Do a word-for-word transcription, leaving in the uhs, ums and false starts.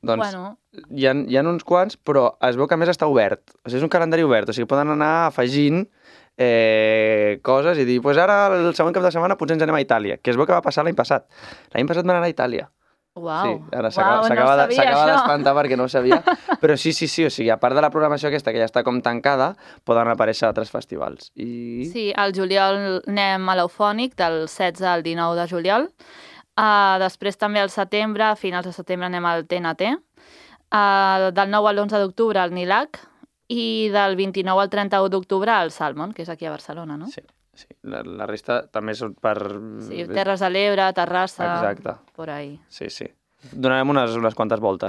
Doncs Bueno. hi ha, hi ha uns quants, però es veu que a més està obert. O sigui, és un calendari obert, o sigui, poden anar afegint eh, coses i dir, pues ara el següent cap de setmana potser ens anem a Itàlia, que es veu que va passar l'any passat. L'any passat van anar a Itàlia. Uau, Sí, ara uau, s'acaba no de, sabia això. d'espantar perquè no ho sabia. Però sí, sí, sí, o sigui, a part de la programació aquesta que ja està com tancada, poden aparèixer altres festivals. I... Sí, al juliol anem a l'Eufònic, del setze al dinou de juliol. Uh, després també al setembre, a finals de setembre anem al T N T. Uh, del nou al l'onze d'octubre al Nilac. I del vint-i-nou al trenta-u d'octubre al Salmon, que és aquí a Barcelona, no? Sí, sí. La, la resta també són per... Sí, Terres de l'Ebre, Terrassa... Exacte. Por ahí. Sí, sí. Donarem unes, unes quantes voltes.